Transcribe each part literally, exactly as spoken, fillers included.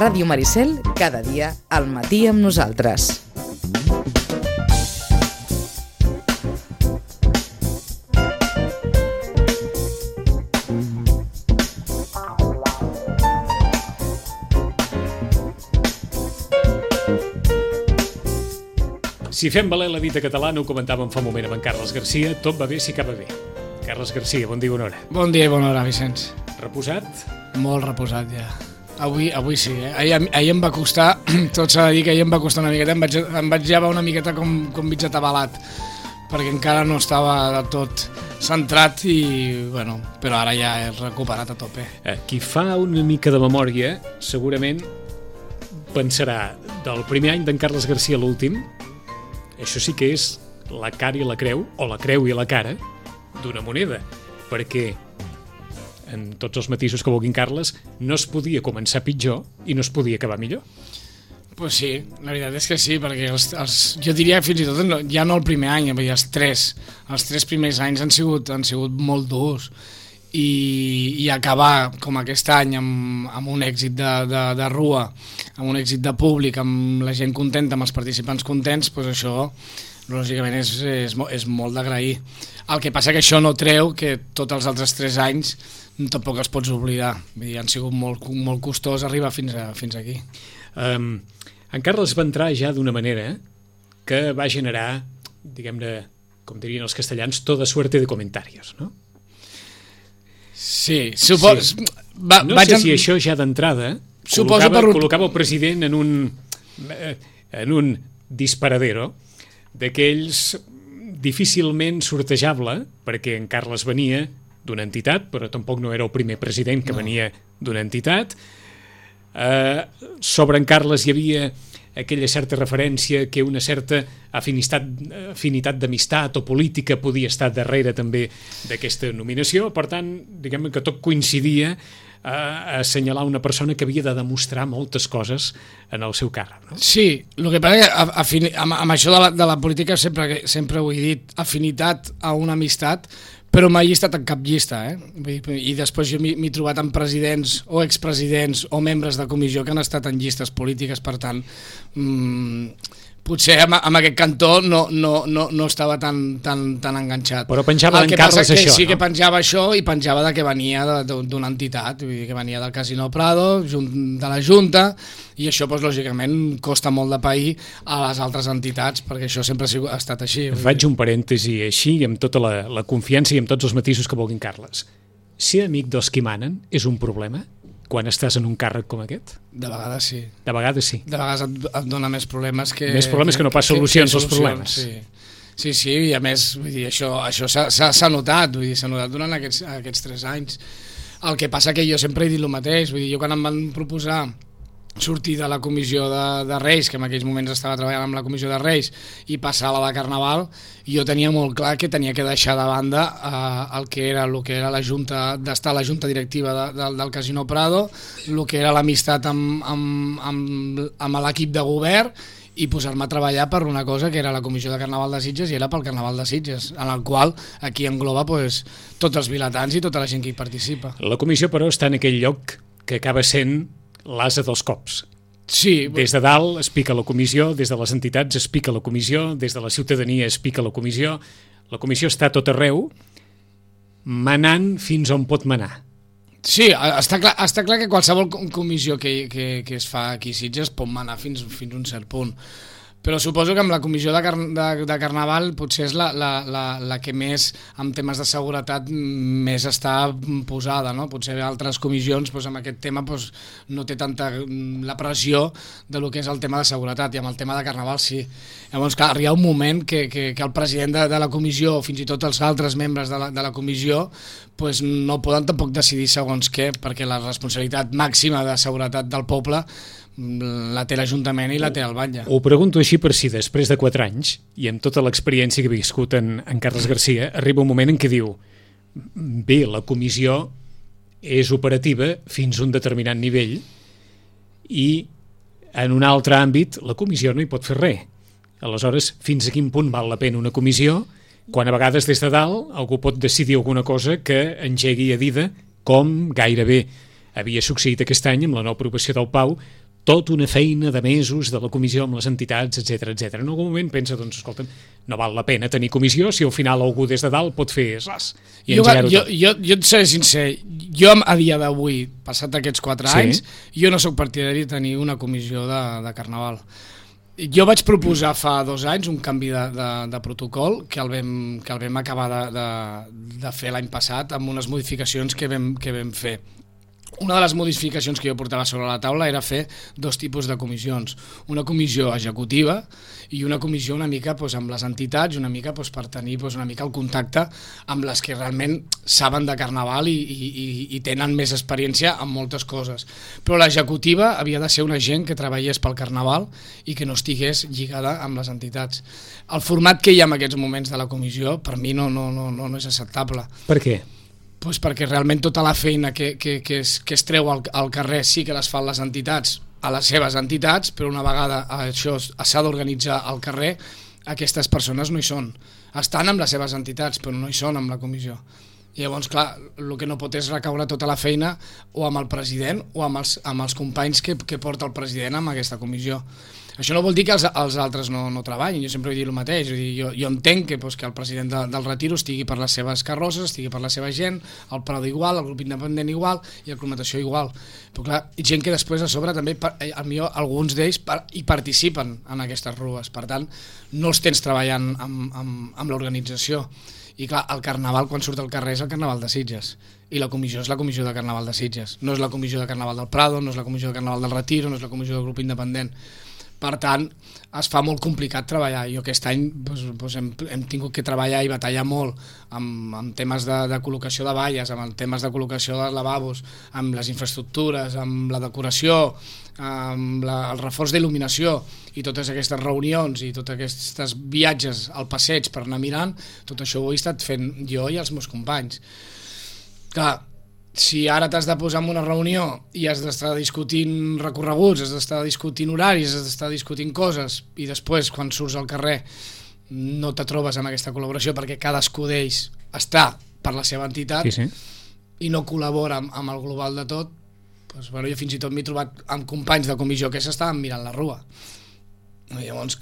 Ràdio Maricel, cada dia al matí amb nosaltres. Si fem valer la dita catalana, ho comentàvem fa un moment amb en Carles Garcia, tot va bé si acaba bé. Carles Garcia, bon dia i bona hora. Bon dia i bona hora, Vicenç. Reposat? Molt reposat, ja. Avui, avui sí, eh? Ahir, ahir em va costar, tot s'ha de dir que ahir em va costar una miqueta, em vaig, em vaig llevar una miqueta com, com mig atabalat, perquè encara no estava de tot centrat i, bueno, però ara ja he recuperat a tope. Eh, qui fa una mica de memòria, segurament pensarà del primer any d'en Carles Garcia a l'últim. Això sí que és la cara i la creu, o la creu i la cara, d'una moneda, perquè en tots els matisos que vulguin Carles, no es podia començar pitjor i no es podia acabar millor. Pues sí, la veritat és que sí, perquè els, els, jo diria fins i tot, no, ja no el primer any, vull dir, els tres, els tres primers anys han sigut, han sigut molt durs, i, i acabar com aquest any amb, amb un èxit de, de, de rua, amb un èxit de públic, amb la gent contenta, amb els participants contents, doncs això lògicament és, és, és molt d'agrair. El que passa que això no treu que tots els altres tres anys tampoc els pots oblidar. Vull dir, han sigut molt, molt costós arribar fins, a, fins aquí. Um, en Carles va entrar ja d'una manera que va generar, diguem-ne, com dirien els castellans, toda suerte de comentarios, no? Sí, supos... sí. Va, no vaig sé en... si això ja d'entrada Suposo col·locava, per... col·locava el president en un, en un disparadero d'aquells difícilment sortejable, perquè en Carles venia d'una entitat, però tampoc no era el primer president que no. venia d'una entitat. Eh, sobre en Carles hi havia aquella certa referència que una certa afinitat, afinitat d'amistat o política podia estar darrere també d'aquesta nominació. Per tant, diguem que tot coincidia a assenyalar una persona que havia de demostrar moltes coses en el seu càrrec, no? Sí, el que passa que afini, amb, amb això de la, de la política sempre, sempre ho he dit, afinitat a una amistat, però mai he estat en cap llista, eh? I després jo m'he trobat amb presidents o expresidents o membres de comissió que han estat en llistes polítiques, per tant, mmm, potser amb, amb aquest cantó no, no, no, no estava tan, tan, tan enganxat. Però penjava en Carles que això, sí no? que penjava això i penjava de que venia d'una entitat, vull dir que venia del Casino Prado, de la Junta, i això, doncs, lògicament, costa molt de pair a les altres entitats, perquè això sempre ha estat així. Faig un parèntesi així, amb tota la, la confiança i amb tots els matisos que vulguin Carles. Ser amic dels qui manen és un problema quan estàs en un càrrec com aquest? De vegades sí. De vegades sí. De vegades et, et dona més problemes que... Més problemes que, que no pas solucions als problemes. Sí. Sí, sí, i a més, vull dir, això, això s'ha notat, vull dir, s'ha notat durant aquests, aquests tres anys. El que passa que jo sempre he dit el mateix, vull dir, jo quan em van proposar sortir de la comissió de, de Reis, que en aquells moments estava treballant amb la comissió de Reis, i passar a la de Carnaval, jo tenia molt clar que tenia que deixar de banda eh, el que era, el que era la junta, d'estar a la junta directiva de, de, del Casino Prado, el que era l'amistat amb, amb, amb, amb l'equip de govern, i posar-me a treballar per una cosa que era la comissió de Carnaval de Sitges i era pel Carnaval de Sitges, en el qual aquí engloba pues, tots els vilatans i tota la gent que hi participa. La comissió, però, està en aquell lloc que acaba sent l'ase dels cops. Sí. Des de dalt es pica la comissió, des de les entitats es pica la comissió, des de la ciutadania es pica la comissió. La comissió està a tot arreu, manant fins on pot manar. Sí, està clar, està clar que qualsevol comissió que, que, que es fa aquí a Sitges pot manar fins, fins a un cert punt. Però suposo que amb la comissió de, car de, de Carnaval potser és la, la, la, la que més, en temes de seguretat, més està posada, no? Potser altres comissions doncs, amb aquest tema doncs, no té tanta la pressió de lo que és el tema de seguretat, i amb el tema de Carnaval sí. Llavors, clar, hi ha un moment que, que, que el president de, de la comissió, o fins i tot els altres membres de la, de la comissió, doncs, no poden tampoc decidir segons què, perquè la responsabilitat màxima de seguretat del poble la té l'Ajuntament i la té el batlle. Ho pregunto així per si després de quatre anys, i amb tota l'experiència que he viscut en, en Carles Garcia, arriba un moment en què diu bé, la comissió és operativa fins a un determinat nivell i en un altre àmbit la comissió no hi pot fer res. Aleshores, fins a quin punt val la pena una comissió quan a vegades des de dalt algú pot decidir alguna cosa que engegui a dida, com gairebé havia succeït aquest any amb la nova aprovació del Pau, tota una feina de mesos de la comissió amb les entitats, etcètera, etcètera. En algun moment pensa, doncs, escolta'm, no val la pena tenir comissió si al final algú des de dalt pot fer ras i jo, engegar-ho jo, tot. jo, jo et seré sincer, jo a dia d'avui, passat aquests quatre Sí. anys, jo no sóc partidari de tenir una comissió de, de Carnaval. Jo vaig proposar fa dos anys un canvi de, de, de protocol que el vam, que el vam acabar de, de, de fer l'any passat amb unes modificacions que vam, que vam fer. Una de les modificacions que jo portava sobre la taula era fer dos tipus de comissions. Una comissió executiva i una comissió una mica doncs, amb les entitats, una mica doncs, per tenir doncs, una mica el contacte amb les que realment saben de Carnaval i, i, i tenen més experiència en moltes coses. Però l'executiva havia de ser una gent que treballés pel Carnaval i que no estigués lligada amb les entitats. El format que hi ha en aquests moments de la comissió per mi no, no, no, no és acceptable. Per què? Pues perquè realment tota la feina que, que, que, es, que es treu al, al carrer sí que les fan les entitats a les seves entitats, però una vegada això s'ha d'organitzar al carrer, aquestes persones no hi són. Estan amb les seves entitats, però no hi són amb la comissió. I llavors, clar, el que no pot és recaure tota la feina o amb el president o amb els, amb els companys que, que porta el president amb aquesta comissió. Això no vol dir que els, els altres no, no treballin, jo sempre he dit el mateix, vull dir, jo, jo entenc que, doncs, que el president de, del Retiro estigui per les seves carrosses, estigui per la seva gent, el Prado igual, el grup independent igual i el Climatació igual, però clar, gent que després a sobre també, a mi alguns d'ells per, hi participen en aquestes rues, per tant no els tens treballant amb, amb, amb l'organització. I clar, el Carnaval quan surt al carrer és el Carnaval de Sitges i la comissió és la comissió de Carnaval de Sitges, no és la comissió de Carnaval del Prado, no és la comissió de Carnaval del Retiro, no és la comissió del grup independent. Per tant, es fa molt complicat treballar. Jo aquest any doncs, doncs hem, hem tingut que treballar i batallar molt amb, amb temes de, de col·locació de valles, amb temes de col·locació de lavabos, amb les infraestructures, amb la decoració, amb la, el reforç d'il·luminació i totes aquestes reunions i tots aquests viatges al passeig per anar mirant, tot això ho he estat fent jo i els meus companys. Clar, si ara t'has de posar en una reunió i has d'estar discutint recorreguts, has d'estar discutint horaris, has d'estar discutint coses i després quan surts al carrer no te trobes amb aquesta col·laboració perquè cadascú d'ells està per la seva entitat Sí, sí. i no col·labora amb, amb el global de tot, doncs, bueno, jo fins i tot m'he trobat amb companys de comissió que s'estaven mirant la rua. Llavors,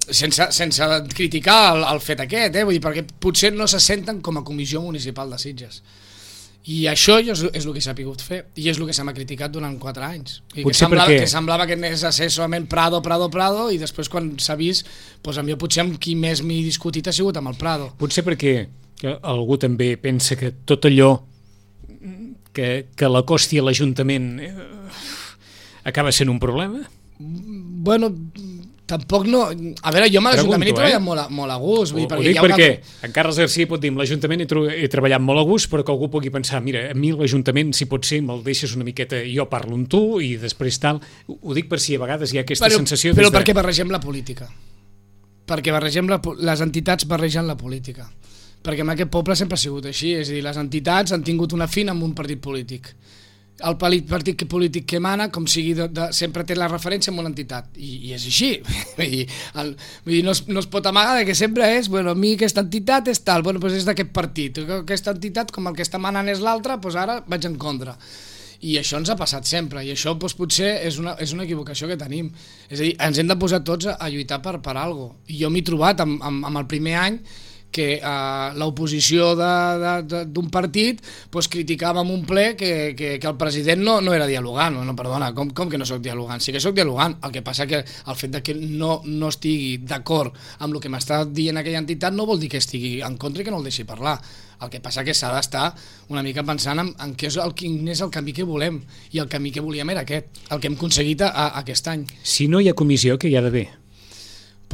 sense, sense criticar el, el fet aquest, eh? Vull dir, perquè potser no se senten com a comissió municipal de Sitges. I això és, és el que s'ha pogut fer i és el que se m'ha criticat durant quatre anys i que semblava, perquè... que semblava que anés a ser solament Prado, Prado, Prado i després quan s'ha vist, doncs jo potser amb qui més m'he discutit ha sigut amb el Prado. Potser perquè algú també pensa que tot allò que, que l'acosti a l'Ajuntament eh, acaba sent un problema? Bueno, tampoc no... A veure, jo amb l'Ajuntament he treballat eh? molt, a, molt a gust. Vull dir, ho, perquè ho dic hi ha perquè una... en Carles Garcia pot dir, l'Ajuntament he, he treballat molt a gust, però que algú pugui pensar, mira, a mi l'Ajuntament, si pot ser, me'l deixes una miqueta, jo parlo amb tu i després tal. Ho dic per si a vegades hi ha aquesta però, sensació... Però de... perquè barregem la política. Perquè barregem la, les entitats barregen la política. Perquè en aquest poble sempre ha sigut així, és a dir, les entitats han tingut una fina amb un partit polític. El partit polític que mana, com sigui, de, de, sempre té la referència amb una entitat, i, i és així. Vull dir, el, vull dir no, es, no es pot amagar que sempre és, bueno, a mi aquesta entitat és tal, bueno, doncs és d'aquest partit, aquesta entitat, com el que està manant és l'altre, doncs ara vaig en contra. I això ens ha passat sempre, i això doncs, potser és una, és una equivocació que tenim. És a dir, ens hem de posar tots a, a lluitar per, per alguna cosa. I jo m'he trobat amb, amb, amb el primer any que eh, l'oposició d'un partit pues, criticava en un ple que, que, que el president no, no era dialogant. No, perdona, com, com que no soc dialogant? Sí que soc dialogant, el que passa que el fet de que no, no estigui d'acord amb el que m'està dient aquella entitat no vol dir que estigui en contra i que no el deixi parlar. El que passa que s'ha d'estar una mica pensant en, en què és el, quin és el camí que volem, i el camí que volíem era aquest, el que hem aconseguit a, a aquest any. Si no hi ha comissió, què hi ha d'haver?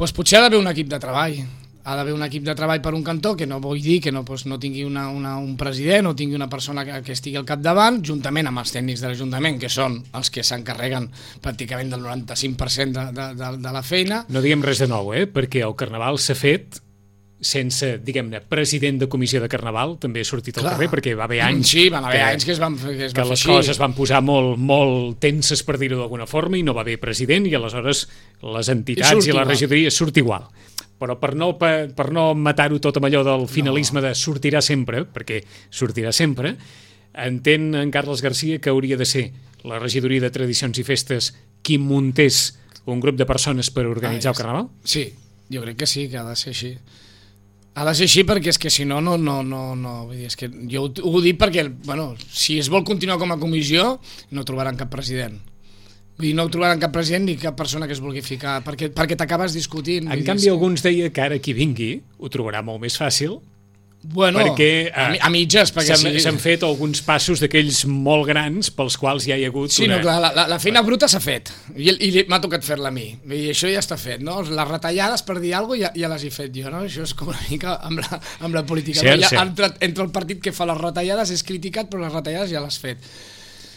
Pues potser ha d'haver un equip de treball. Ha d'haver un equip de treball per un cantó, que no vull dir que no, doncs, no tingui una, una, un president o tingui una persona que, que estigui al capdavant, juntament amb els tècnics de l'Ajuntament, que són els que s'encarreguen pràcticament del noranta-cinc per cent de, de, de, de la feina. No diguem res de nou, eh? Perquè el Carnaval s'ha fet sense, diguem-ne, president de comissió de Carnaval, també ha sortit al Clar. carrer, perquè va haver anys... Sí, van haver que, anys que es van, que es que va les fer coses van posar molt, molt tenses, per dir-ho d'alguna forma, i no va haver president, i aleshores les entitats i, i la regidoria surt igual. Però per no, per, per no matar-ho tot amb allò del finalisme no. de sortirà sempre, perquè sortirà sempre, entén en Carles Garcia que hauria de ser la regidoria de Tradicions i Festes qui muntés un grup de persones per organitzar ah, el Carnaval? Sí, jo crec que sí, que ha de ser així. Ha de ser així perquè és que si no, no, no, no, no. Vull dir, és que jo ho, ho dic perquè, bueno, si es vol continuar com a comissió, no trobaran cap president. Vull dir, no trobaran cap president ni cap persona que es vulgui ficar, perquè, perquè t'acabes discutint. En canvi, alguns deia que ara qui vingui ho trobarà molt més fàcil, bueno, perquè a, a mitges, perquè s'han sí. fet alguns passos d'aquells molt grans pels quals ja hi ha hagut sí, una... no, clar, la, la feina bruta s'ha fet i, i m'ha tocat fer-la a mi i això ja està fet, no? Les retallades per dir alguna cosa ja, ja les he fet jo, no? Això és com una mica amb la, amb la política, cert, no? Ja, cert. entre, entre el partit que fa les retallades és criticat, però les retallades ja les has fet.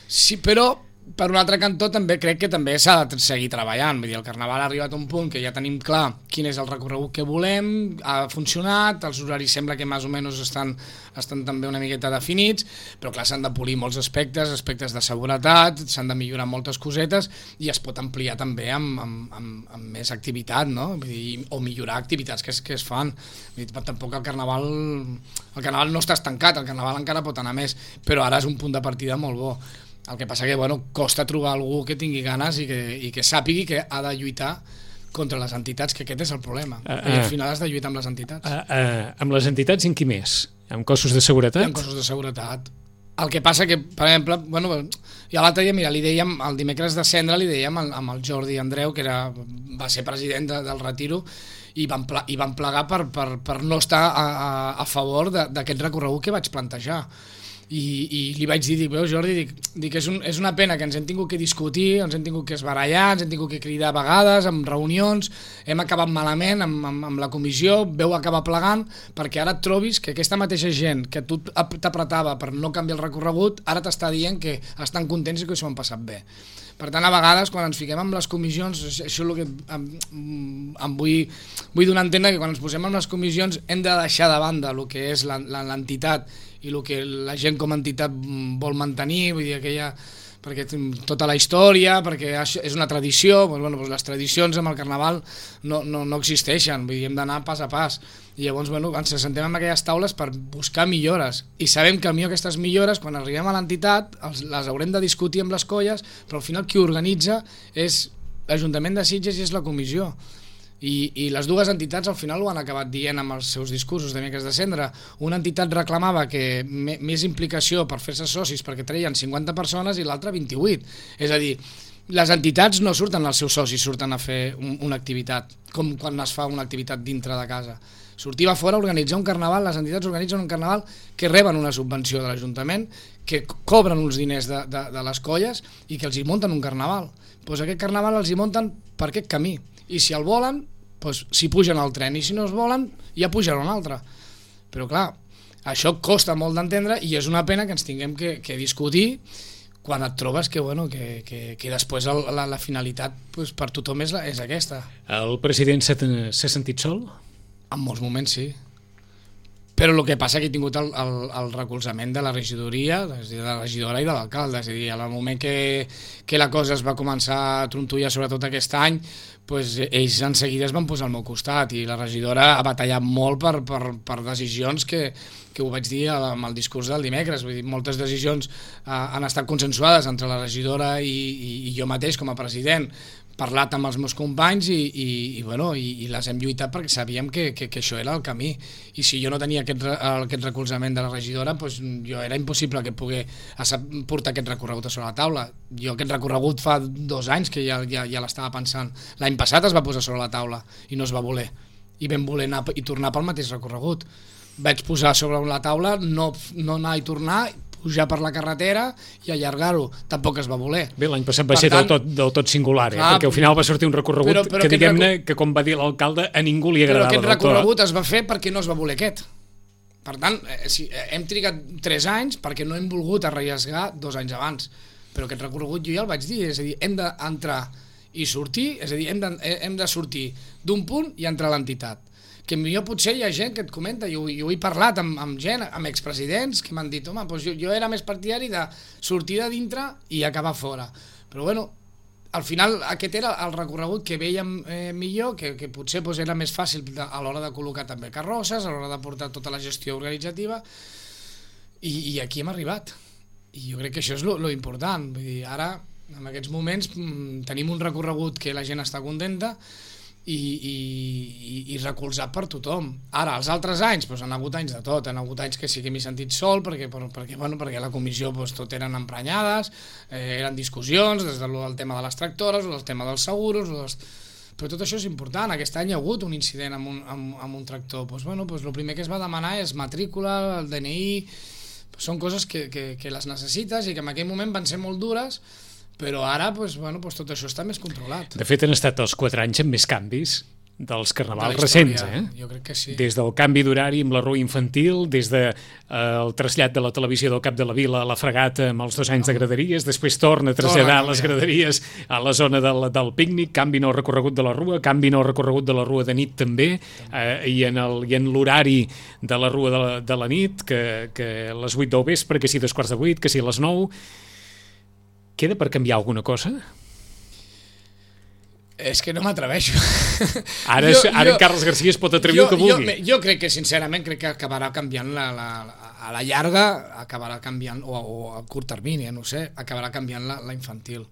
Sí, però per un altre cantó també crec que també s'ha de seguir treballant. Vull dir, el Carnaval ha arribat a un punt que ja tenim clar quin és el recorregut que volem, ha funcionat, els horaris sembla que més o menys estan, estan també una miqueta definits, però clar, s'han de polir molts aspectes, aspectes de seguretat, s'han de millorar moltes cosetes i es pot ampliar també amb, amb, amb, amb més activitat, no? Vull dir, o millorar activitats que es, que es fan. Vull dir, tampoc el Carnaval, el Carnaval no està estancat, el Carnaval encara pot anar més, però ara és un punt de partida molt bo. El que passa que, bueno, costa trobar algú que tingui ganes i que, i que sàpigui que ha de lluitar contra les entitats, que aquest és el problema. Uh, uh, I al final has de lluitar amb les entitats. Uh, uh, amb les entitats en qui més? Amb cossos de seguretat? Amb cossos de seguretat. El que passa que, per exemple, bueno, i l'altre dia, mira, li dèiem, el dimecres de cendra li dèiem amb el Jordi Andreu, que era, va ser president de, del Retiro, i van, ple, i van plegar per, per, per no estar a, a, a favor d'aquest recorregut que vaig plantejar. I, i li vaig dir, dic, veus Jordi, dic, dic és, un, és una pena que ens hem tingut que discutir, ens hem tingut que esbarallar, ens hem tingut que cridar a vegades, amb reunions, hem acabat malament amb, amb, amb la comissió, veu acabar plegant, perquè ara et trobis que aquesta mateixa gent que tu t'apretava per no canviar el recorregut, ara t'està dient que estan contents i que s'ho han passat bé. Per tant, a vegades, quan ens fiquem amb les comissions, això és el que em, em vull, vull donar a entendre, que quan ens posem amb les comissions hem de deixar de banda el que és l'entitat i el que la gent com a entitat vol mantenir, vull dir, aquella, perquè tota la història, perquè és una tradició, doncs, bueno, doncs les tradicions amb el Carnaval no, no, no existeixen, vull dir, hem d'anar pas a pas, i llavors bueno, ens sentem en aquelles taules per buscar millores, i sabem que potser aquestes millores, quan arribem a l'entitat, les haurem de discutir amb les colles, però al final qui organitza és l'Ajuntament de Sitges i és la comissió. I, i les dues entitats al final ho han acabat dient amb els seus discursos de Dimecres de Cendra. Una entitat reclamava que més implicació per fer-se socis perquè treien cinquanta persones i l'altra vint-i-vuit. És a dir, les entitats no surten als seus socis, surten a fer un, una activitat, com quan es fa una activitat dintre de casa. Sortir a fora, organitzar un carnaval, les entitats organitzen un carnaval que reben una subvenció de l'Ajuntament, que cobren uns diners de, de, de les colles i que els hi munten un carnaval. Doncs aquest carnaval els hi munten per aquest camí. I si el volen, doncs s'hi pugen al tren, i si no es volen, ja pujaran un altre. Però clar, això costa molt d'entendre i és una pena que ens tinguem que, que discutir quan et trobes que, bueno, que, que, que després el, la, la finalitat doncs, per tothom és, la, és aquesta. El president s'ha sentit sol? En molts moments sí. Però el que passa que he tingut el, el, el recolzament de la regidoria, és a dir, de la regidora i de l'alcalde. És a dir, al moment que, que la cosa es va començar a trontollar, sobretot aquest any, doncs ells en seguida es van posar al meu costat i la regidora ha batallat molt per, per, per decisions que, que ho vaig dir amb el discurs del dimecres. Vull dir, moltes decisions eh, han estat consensuades entre la regidora i, i, i jo mateix com a president, parlat amb els meus companys i, i, i, bueno, i, i les hem lluitat perquè sabíem que, que, que això era el camí, i si jo no tenia aquest, aquest recolzament de la regidora, doncs jo era impossible que pogués portar aquest recorregut a sobre la taula. Jo aquest recorregut fa dos anys que ja, ja, ja l'estava pensant. L'any passat es va posar sobre la taula i no es va voler, i vam voler anar i tornar pel mateix recorregut. Vaig posar sobre la taula no, no anar i tornar, pujar per la carretera i allargar-ho. Tampoc es va voler. Bé, l'any passat va per ser tant, del, tot, del tot singular, eh? Clar, perquè al final va sortir un recorregut però, però que, diguem-ne, recor... que com va dir l'alcalde, a ningú li agradava. Però aquest recorregut es va fer perquè no es va voler aquest. Per tant, eh, si, eh, hem trigat tres anys perquè no hem volgut arriesgar dos anys abans. Però aquest recorregut jo ja el vaig dir, és a dir, hem d'entrar i sortir, és a dir, hem de, hem de sortir d'un punt i entrar a l'entitat. Que millor potser hi ha gent que et comenta, i ho, i ho he parlat amb, amb gent, amb expresidents, que m'han dit, home, doncs jo, jo era més partidari de sortir de dintre i acabar fora. Però bueno, al final aquest era el recorregut que veiem eh, millor, que, que potser doncs, era més fàcil de, a l'hora de col·locar també carrosses, a l'hora de portar tota la gestió organitzativa, i, i aquí hem arribat. I jo crec que això és lo, lo important. Vull dir, ara En aquests moments tenim un recorregut que la gent està contenta i, i, i recolzat per tothom. Ara, els altres anys, doncs, han hagut anys de tot, han hagut anys que sí que m'he sentit sol, perquè, perquè, bueno, perquè la comissió doncs, tot eren emprenyades, eh, eren discussions, des del, del tema de les tractores, o del tema dels seguros, o dels... però tot això és important. Aquest any hi ha hagut un incident amb un, amb, amb un tractor. Doncs, bueno, doncs, el primer que es va demanar és matrícula, el D N I... Són coses que, que, que les necessites i que en aquell moment van ser molt dures, però ara doncs, bueno, doncs tot això està més controlat. De fet, han estat els quatre anys amb més canvis dels carnavals de recents, eh? Jo crec que sí. Des del canvi d'horari amb la rua infantil, des del de, eh, trasllat de la televisió del Cap de la Vila a la Fregata amb els dos anys de graderies, després torna a traslladar les graderies a la zona del, del pícnic, canvi en el recorregut de la rua, canvi en el recorregut de la rua de nit també, eh, i en el, i en l'horari de la rua de la, de la nit, que, que a les vuit del vespre, que si dos quarts de vuit, que si a les nou... Queda per canviar alguna cosa? És que no m'atreveixo. Ara, jo, ara jo, en Carles Garcia es pot atrevir el que vulgui. Jo, jo crec que, sincerament, crec que acabarà canviant la, la, a la llarga, acabarà canviant, o, o a curt termini, no sé, acabarà canviant la, la infantil.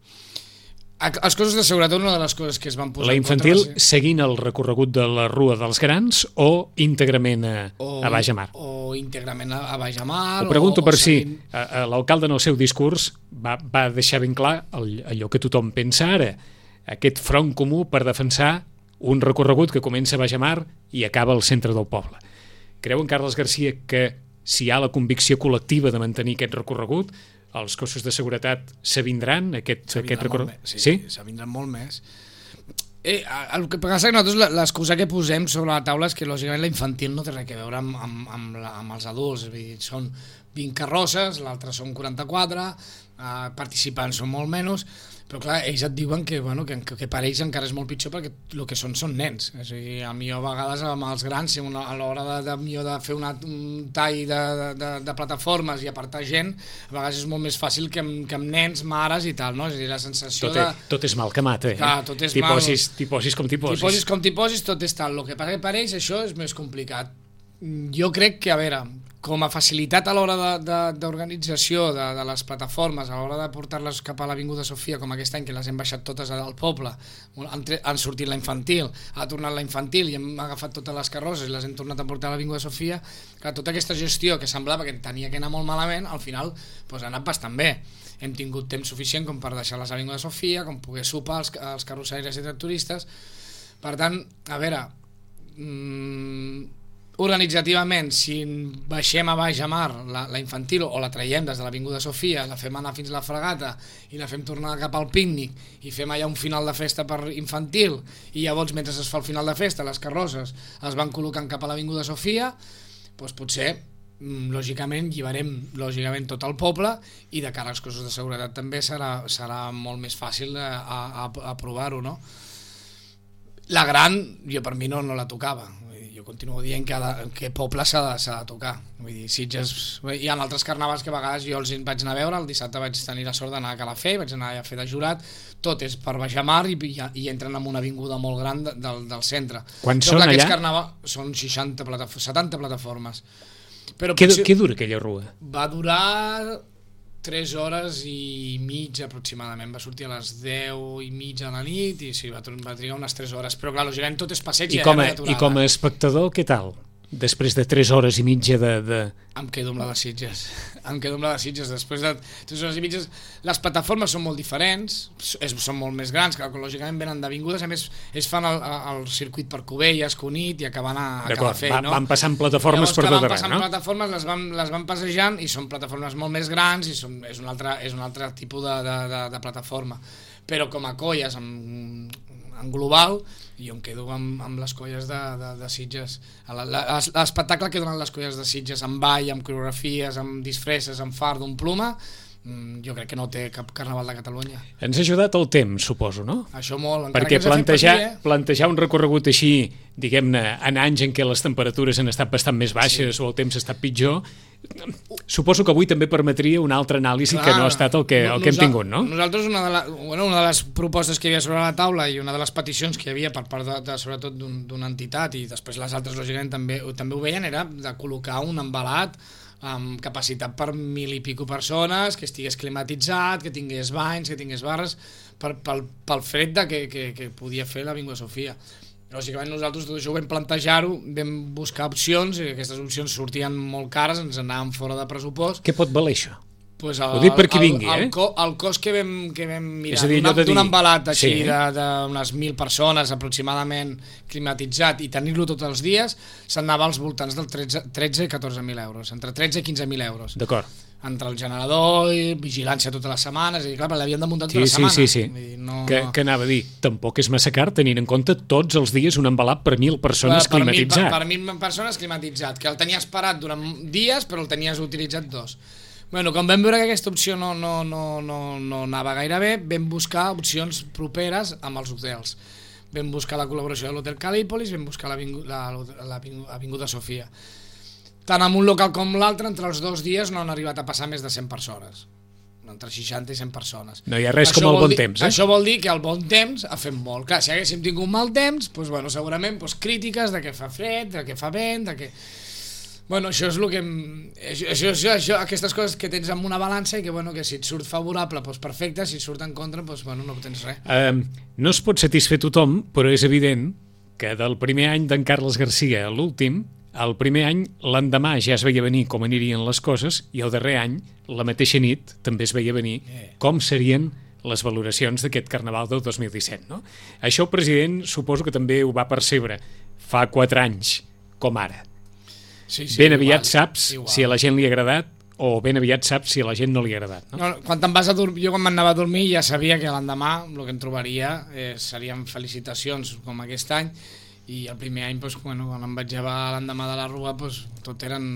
Els cossos de seguretat, una de les coses que es van posar... La infantil ser... seguint el recorregut de la Rua dels Grans o íntegrament a, o, a Baix-a-Mar? O íntegrament a, a Baix-a-Mar... Ho pregunto o, per o si seguint... l'alcalde en el seu discurs va, va deixar ben clar allò que tothom pensa ara, aquest front comú per defensar un recorregut que comença a Baix-a-Mar i acaba al centre del poble. Creu en Carles Garcia que si hi ha la convicció col·lectiva de mantenir aquest recorregut, els cossos de seguretat s'avindran aquest, aquest recorregut? Sí, sí? s'avindran molt més. Eh, el que passa que nosaltres l'excusa que posem sobre la taula és que lògicament la infantil no té res a veure amb, amb, amb, la, amb els adults, dir, són vint carrosses, l'altre són quaranta-quatre, eh, participants són molt menys, però clar, ells et diuen que, bueno, que, que per ells encara és molt pitjor perquè el que són són nens. És a dir, a mi a vegades amb els grans, una, a l'hora de, de, de, de fer una, un tall de, de, de plataformes i apartar gent, a vegades és molt més fàcil que amb, que amb nens, mares i tal, no? És a dir, la sensació tot, de... Tot és mal que mata, eh? Clar, tot és t'hi mal. Posis, t'hi posis com t'hi posis. T'hi posis com t'hi posis, tot és tal. El que passa que per ells això és més complicat. Jo crec que, a veure, com a facilitat a l'hora d'organització de, de, de les plataformes, a l'hora de portar-les cap a l'Avinguda Sofia, com aquest any que les hem baixat totes al poble, han, han sortit la infantil, ha tornat la infantil i hem agafat totes les carrosses i les hem tornat a portar a l'Avinguda Sofia, que tota aquesta gestió que semblava que tenia que anar molt malament, al final doncs, ha anat bastant bé. Hem tingut temps suficient com per deixar les Avinguda Sofia, com poder sopar els, els carrossaires i tractoristes. Per tant, a veure... Mmm, organitzativament, si baixem a Baix-a-Mar la, la infantil o la traiem des de l'Avinguda Sofia, la fem anar fins a la Fregata i la fem tornar cap al pícnic i fem allà un final de festa per infantil i llavors mentre es fa el final de festa les carrosses es van col·locant cap a l'Avinguda Sofia, doncs potser lògicament lliberem lògicament tot el poble i de cara als cossos de seguretat també serà, serà molt més fàcil a, a, a provar-ho, no? La gran, jo per mi no, no la tocava. Jo continuo dient que, de, que poble s'ha de, de tocar. Vull dir, Sitges, hi ha altres carnavals que a vegades jo els vaig anar a veure, el dissabte vaig tenir la sort d'anar a Calafell, vaig anar a fer de jurat, tot és per Baix-a-Mar i, i, i entren en una avinguda molt gran de, del, del centre. Quants són allà? Carnaval, són seixanta plataformes, setanta plataformes. Però què, potser, què dura aquella rua? Va durar tres hores i mitja aproximadament, va sortir a les deu i mitja de la nit i sí, va, va trigar unes tres hores, però clar, lògicament tot és passeig i, I, com a, i com a espectador, què tal? Després de tres hores i mitja de... de... Em quedo amb la de Sitges. Em quedo amb la de Sitges. Després de tres hores i mitges... Les plataformes són molt diferents, és, són molt més grans, que lògicament venen d'avingudes, a més es fan el, el circuit per Cubelles, Cunit i acaben a, a Calafell, no? Van passant plataformes Llavors, per tot arreu, no? Van passant plataformes, les van, les van passejant i són plataformes molt més grans i són, és, un altre, és un altre tipus de, de, de, de plataforma. Però com a colles, en, en global, jo em quedo amb, amb les colles de, de, de Sitges. L'espectacle que donen les colles de Sitges amb ball, amb coreografies, amb disfresses, amb fard, amb pluma, jo crec que no té cap carnaval de Catalunya. Ens ha ajudat el temps, suposo, no? Això molt. Perquè plantejar, patir, eh? plantejar un recorregut així, diguem-ne, en anys en què les temperatures han estat bastant més baixes sí. o el temps ha estat pitjor, suposo que avui també permetria una altra anàlisi Clar, que no ha estat el que, el que hem tingut, no? Nosaltres una de, la, bueno, una de les propostes que hi havia sobre la taula i una de les peticions que hi havia per part de, de sobretot d'una un, entitat i després les altres lògicament també, també ho veien era de col·locar un embalat amb capacitat per mil i pico persones, que estigués climatitzat, que tingués banys, que tingués barres, per, pel, pel fred de que, que, que podia fer l'Avinguda Sofia. Lògicament nosaltres tot això ho vam plantejar-ho, vam buscar opcions, i aquestes opcions sortien molt cares, ens anàvem fora de pressupost. Què pot valer això? Pues el, ho dic per qui vingui, el, el, eh? co, el cost que vam, que vam mirar dir, d'un embalat així sí. d'unes mil persones aproximadament climatitzat i tenir-lo tots els dies s'anava als voltants del tretze i catorze mil euros, entre tretze i quinze mil euros. D'acord. Entre el generador i vigilància totes les setmanes, i clar, l'havien de muntar tota sí, la setmana. Sí, sí, sí. No, que, que anava a dir, tampoc és massa car tenint en compte tots els dies un embalat per mil persones per, per climatitzat. Mil, per, per mil persones climatitzat, que el tenies parat durant dies però el tenies utilitzat dos. Bueno, quan vam veure que aquesta opció no, no, no, no, no anava gaire bé, vam buscar opcions properes amb els hotels. Vam buscar la col·laboració de l'Hotel Calípolis, vam buscar l'Avinguda Sofia. Tant en un local com l'altre, entre els dos dies no han arribat a passar més de cent persones. Entre seixanta i cent persones. No hi ha res això com el bon dir, temps, eh? Això vol dir que el bon temps ha fet molt. Clar, si haguéssim tingut mal temps, doncs, bueno, segurament doncs, crítiques de que fa fred, de que fa vent, de que... Bueno, això és el que... Això, això, això, aquestes coses que tens en una balança i que, bueno, que si et surt favorable, doncs perfecte, si et surt en contra, doncs, bueno, no tens res. Uh, no es pot satisfer tothom, però és evident que del primer any d'en Carles Garcia a l'últim, el primer any, l'endemà ja es veia venir com anirien les coses i el darrer any, la mateixa nit, també es veia venir com serien les valoracions d'aquest Carnaval del dos mil disset. No? Això el president suposo que també ho va percebre fa quatre anys, com ara. Sí, sí, ben igual, aviat saps igual. Si a la gent li ha agradat o ben aviat saps si a la gent no li ha agradat. No? No, quan te'n vas a dormir, jo quan m'anava a dormir ja sabia que l'endemà el que em trobaria eh, serien felicitacions com aquest any, i el primer any doncs, bueno, quan em vaig llevar l'endemà de la rua doncs, tot eren,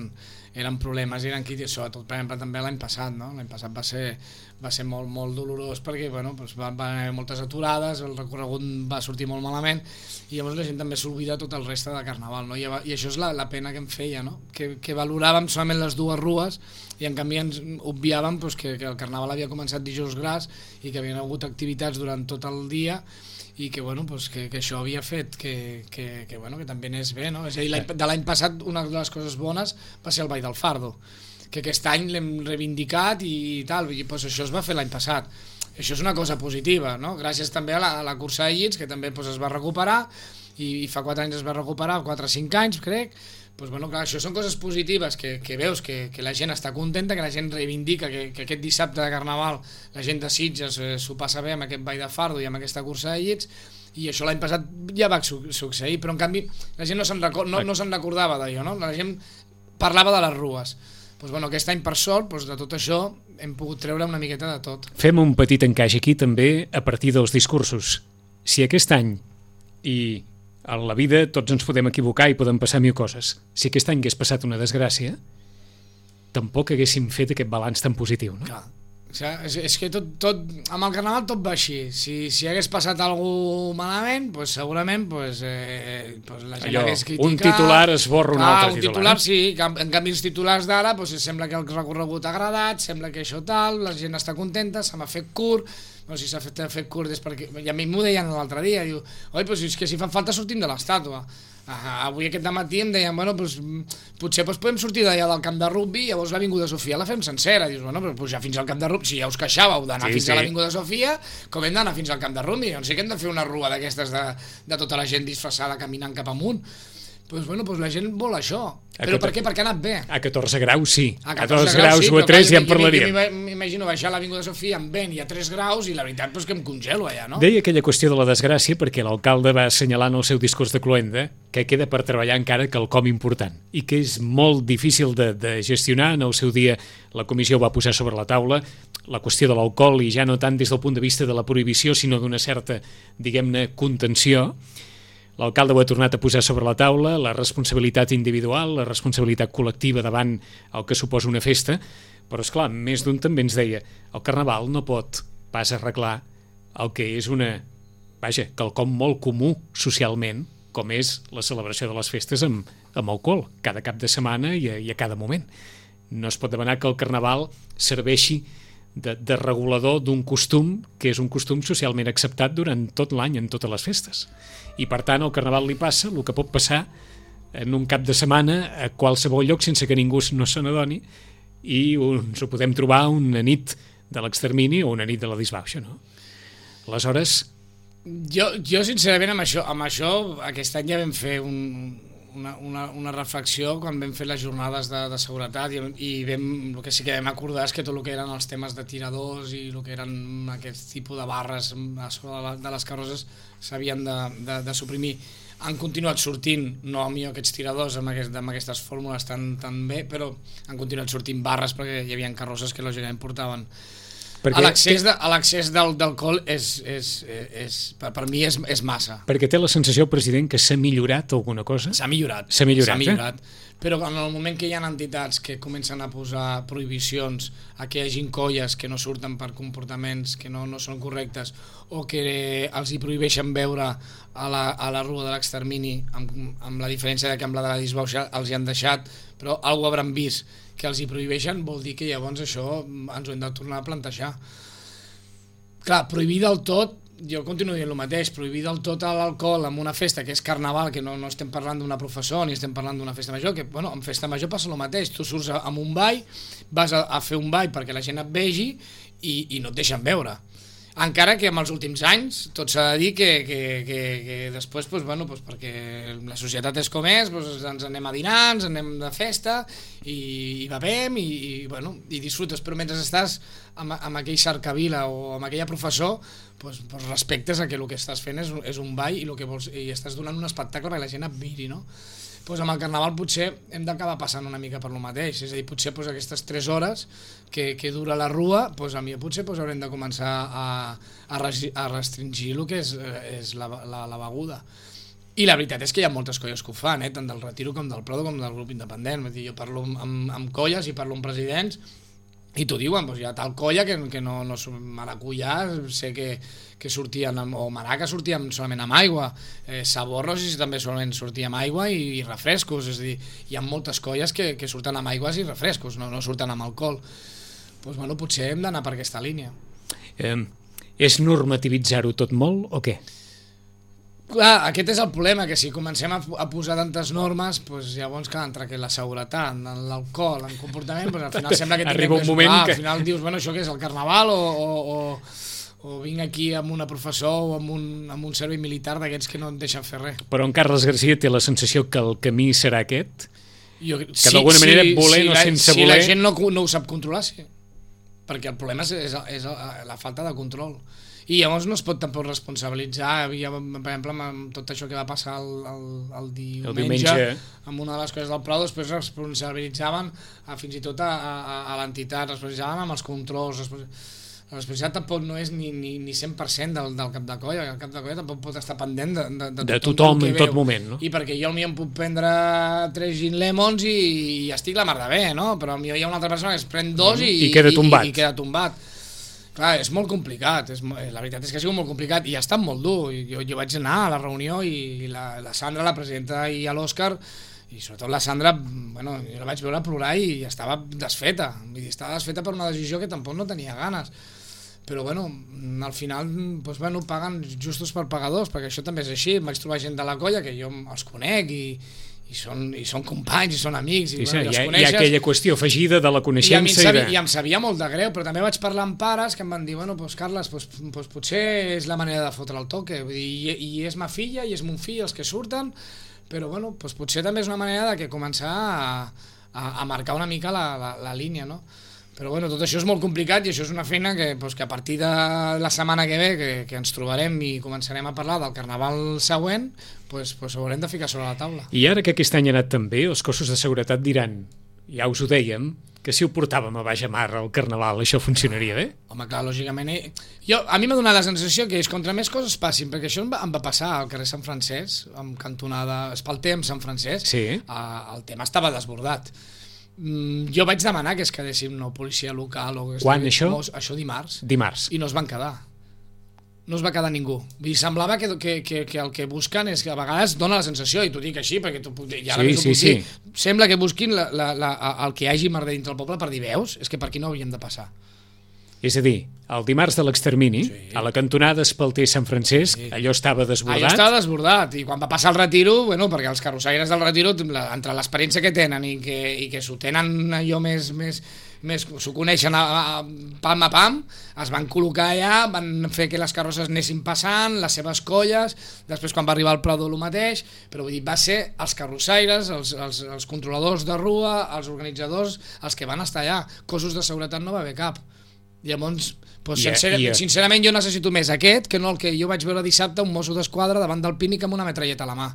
eren problemes, eren crítics, sobretot per exemple també l'any passat, no? L'any passat va ser, va ser molt, molt dolorós perquè bueno, doncs va, va haver moltes aturades, el recorregut va sortir molt malament i llavors la gent també s'oblida tot el reste de Carnaval, no? I, i això és la, la pena que em feia, no? que, que valoràvem solament les dues rues i en canvi ens obviàvem doncs, que, que el Carnaval havia començat dijous gras i que havien hagut activitats durant tot el dia i que, bueno, pues que, que això havia fet que, que, que, bueno, que també anés bé, no? És a dir, de l'any passat una de les coses bones va ser el Ball del Fardo, que aquest any l'hem reivindicat i tal, i pues això es va fer l'any passat. Això és una cosa positiva, no? Gràcies també a la, a la cursa de llits, que també pues, es va recuperar, i, i fa quatre anys es va recuperar, quatre o cinc anys, crec. Pues, bueno, clar, això són coses positives que, que veus que, que la gent està contenta, que la gent reivindica que, que aquest dissabte de Carnaval la gent de Sitges eh, s'ho passa bé amb aquest Ball de Fardo i amb aquesta cursa de llits, i això l'any passat ja va su succeir, però en canvi la gent no se'n record, no, no se'n recordava d'allò, no? La gent parlava de les rues. Pues, bueno, aquest any per sort pues, de tot això hem pogut treure una miqueta de tot. Fem un petit encaix aquí també a partir dels discursos. Si aquest any, i a la vida tots ens podem equivocar i poden passar mil coses, si aquest any hagués passat una desgràcia, tampoc haguéssim fet aquest balanç tan positiu, no? Clar. O sigui, és, és que tot, tot, amb el Carnaval tot va així. Si, si hagués passat alguna malament, pues, segurament pues, eh, pues la gent allò, hagués criticat. Un titular esborra un ah, altre un titular. titular sí, en canvi els titulars d'ara pues, sembla que el recorregut ha agradat, sembla que això tal, la gent està contenta, se m'ha fet curt, no sé si s'ha fet, fet curt és perquè... I a mi m'ho deien l'altre dia, diu, oi, pues, és que si fan falta sortim de l'estàtua. Ah, avui aquest matí em deien, bueno, pues, potser pues, podem sortir d'allà del camp de rugby i llavors l'Avinguda Sofia la fem sencera. Dius, bueno, però pujar fins al camp de rugby, si ja us queixàveu d'anar sí, fins sí. a l'Avinguda Sofia, com hem d'anar fins al camp de rugby? Doncs sí que hem de fer una rua d'aquestes de, de tota la gent disfressada caminant cap amunt. Pues, bueno, pues la gent vol això. A Però catorze... per què? Perquè ha anat bé. A catorze graus sí, a catorze graus o a tres ja en parlaríem. M'imagino baixar a l'Avinguda Sofia amb vent i a tres graus i la veritat pues, que em congelo allà, no? Deia aquella qüestió de la desgràcia perquè l'alcalde va assenyalar en el seu discurs de cloenda que queda per treballar encara quelcom important i que és molt difícil de, de gestionar. En el seu dia la comissió va posar sobre la taula la qüestió de l'alcohol i ja no tant des del punt de vista de la prohibició sinó d'una certa, diguem-ne, contenció. L'alcalde ho ha tornat a posar sobre la taula, la responsabilitat individual, la responsabilitat col·lectiva davant el que suposa una festa, però és clar, més d'un també ens deia el Carnaval no pot pas arreglar el que és una, vaja, quelcom molt comú socialment, com és la celebració de les festes amb, amb alcohol, cada cap de setmana i a, i a cada moment. No es pot demanar que el Carnaval serveixi de, de regulador d'un costum que és un costum socialment acceptat durant tot l'any en totes les festes. I per tant al Carnaval li passa el que pot passar en un cap de setmana a qualsevol lloc sense que ningú no se n'adoni i ens ho podem trobar una nit de l'extermini o una nit de la disbauxa, no? Aleshores... Jo, jo sincerament, amb això, amb això aquest any ja vam fer un, una, una, una reflexió quan vam fer les jornades de, de seguretat i, i vam, el que sí que vam acordar és que tot el que eren els temes de tiradors i el que eren aquest tipus de barres a sobre de, la, de les carrosses s'havien de, de, de suprimir. Han continuat sortint, no a mi aquests tiradors amb, aquest, amb aquestes fórmules tan, tan bé, però han continuat sortint barres perquè hi havia carrosses que lògicament portaven. L'accés de, d'alcohol és, és, és, per, per mi és, és massa. Perquè té la sensació, president, que s'ha millorat alguna cosa? S'ha millorat. S'ha millorat, millorat eh? Però en el moment que hi ha entitats que comencen a posar prohibicions a que hi hagin colles que no surten per comportaments que no, no són correctes o que els hi prohibeixen beure a la, a la rua de l'extermini, amb, amb la diferència de que amb la de la disbauxa els hi han deixat, però algú hauran vist que els hi prohibeixen, vol dir que llavors això ens ho hem de tornar a plantejar. Clar, prohibir del tot, jo continuo dient el mateix, prohibir del tot l'alcohol en una festa que és carnaval, que no, no estem parlant d'una professó ni estem parlant d'una festa major, que bueno, en festa major passa el mateix, tu surts amb un ball, vas a, a fer un ball perquè la gent et vegi i, i no et deixen beure. Encara que en els últims anys tot s'ha de dir que, que, que, que després, doncs, bueno, doncs perquè la societat és com és, doncs ens anem a dinar, ens anem de festa i, i bevem i, i, bueno, i disfrutes, però mentre estàs amb, amb aquell cercavila o amb aquella professor, doncs, doncs respectes a que el que estàs fent és, és un ball i, el que vols, i estàs donant un espectacle perquè la gent et miri, no? Pues amb el carnaval potser hem d'acabar passant una mica per lo mateix, és a dir, potser pues, aquestes tres hores que, que dura la rua, pues, a mi potser pues, haurem de començar a, a, a restringir el que és, és la, la, la beguda. I la veritat és que hi ha moltes colles que ho fan, eh? Tant del Retiro com del Prado com del grup independent. Vull dir, jo parlo amb, amb colles i parlo amb presidents i t'ho diuen, doncs hi ha tal colla que, que no, no Maracuyà, sé que, que sortien, amb, o Maraca sortien solament amb aigua, eh, Saborros i també solament sortia amb aigua i, i refrescos, és a dir, hi ha moltes colles que, que surten amb aigües i refrescos, no, no surten amb alcohol. Doncs bueno, potser hem d'anar per aquesta línia. Eh, és normativitzar-ho tot molt o què? Clar, aquest és el problema, que si comencem a, a posar tantes normes, pues, llavors, clar, entre que la seguretat, l'alcohol, el comportament, pues, al final sembla que arriba un que moment clar, que... al final dius, bueno, això què és, el carnaval o, o, o, o vinc aquí amb una professor o amb un, amb un servei militar d'aquests que no et deixen fer res. Però en Carles Garcia té la sensació que el camí serà aquest? Jo, que sí, d'alguna manera, sí, volent sí, o la, sense si voler... Si la gent no, no ho sap controlar, sí. Perquè el problema és, és, és la falta de control. I llavors no es pot tampoc responsabilitzar, havia, per exemple, amb tot això que va passar el, el, el, diumenge, el diumenge, amb una de les coses del Prado, després responsabilitzaven a, fins i tot a, a, a l'entitat, responsabilitzaven amb els controls, la responsabilitat tampoc no és ni, ni, ni cent per cent del, del cap de colla, el cap de colla tampoc pot estar pendent de, de, de, de tothom, tothom en tot moment, no? I perquè jo al mi em puc prendre tres gin lemons i, i estic la mar de bé, no? Però al mi hi ha una altra persona que es pren dos i, I queda tombat. I, i queda tombat. Clar, és molt complicat, és, la veritat és que ha sigut molt complicat i ha estat molt dur. Jo, jo vaig anar a la reunió i la, la Sandra, la presidenta, i l'Òscar, i sobretot la Sandra, bueno, jo la vaig veure plorar i estava desfeta. Vull dir, estava desfeta per una decisió que tampoc no tenia ganes. Però bueno, al final doncs, bueno, paguen justos per pagadors, perquè això també és així. Em vaig trobar gent de la colla que jo els conec i, i, són, i són companys i són amics. I, sí, bueno, sí, hi, ha, coneixes, hi ha aquella qüestió afegida de la coneixença. I, sabia, i, de... I em sabia molt de greu, però també vaig parlar amb pares que em van dir, bueno, doncs Carles, doncs, doncs potser és la manera de fotre el toque. Vull dir, i, i és ma filla i és mon fill els que surten, però bueno, doncs potser també és una manera de que començar a, a, a marcar una mica la, la, la línia, no? Però bueno, tot això és molt complicat i això és una feina que, doncs, que a partir de la setmana que ve que, que ens trobarem i començarem a parlar del carnaval següent, doncs, doncs haurem de ficar sobre la taula. I ara que aquest any ha anat tan bé, els cossos de seguretat diran, ja us ho dèiem, que si ho portàvem a baix mar al carnaval això funcionaria bé? Home, clar, lògicament... Eh? Jo, a mi m'ha donat la sensació que és contra més coses passin, perquè això em va, em va passar al carrer Sant Francesc, amb cantonada Espalter amb Sant Francesc, sí. eh, el tema estava desbordat. Mm, jo vaig demanar que es quedéssim no policia local o que quan això? Això dimarts. Dimarts. I no es van quedar. No es va quedar ningú. Vull dir, semblava que, que, que, que el que busquen és que a vegades dona la sensació, i t'ho dic així, perquè tu, ja sí, sí, sí. Dir, sembla que busquin la, la, la, el que hi hagi merder dintre el poble per dir, veus? És que per aquí no hauríem de passar. És a dir, el dimarts de l'extermini, sí. a la cantonada Espalter Sant Francesc, sí. allò estava desbordat. Allò estava desbordat, i quan va passar el retiro, bueno, perquè els carrossaires del retiro, entre l'experiència que tenen i que, i que s'ho tenen allò més, més, més s'ho coneixen a, a, pam a pam, es van col·locar allà, van fer que les carrosses anessin passant, les seves colles, després quan va arribar el Prado el mateix, però vull dir, va ser els carrossaires, els, els, els controladors de rua, els organitzadors, els que van estar allà. Cossos de seguretat no va haver cap. Llavors, doncs, yeah, sincer yeah. sincerament jo necessito més aquest que no el que jo vaig veure dissabte, un mosso d'esquadra davant del Pínic amb una metralleta a la mà.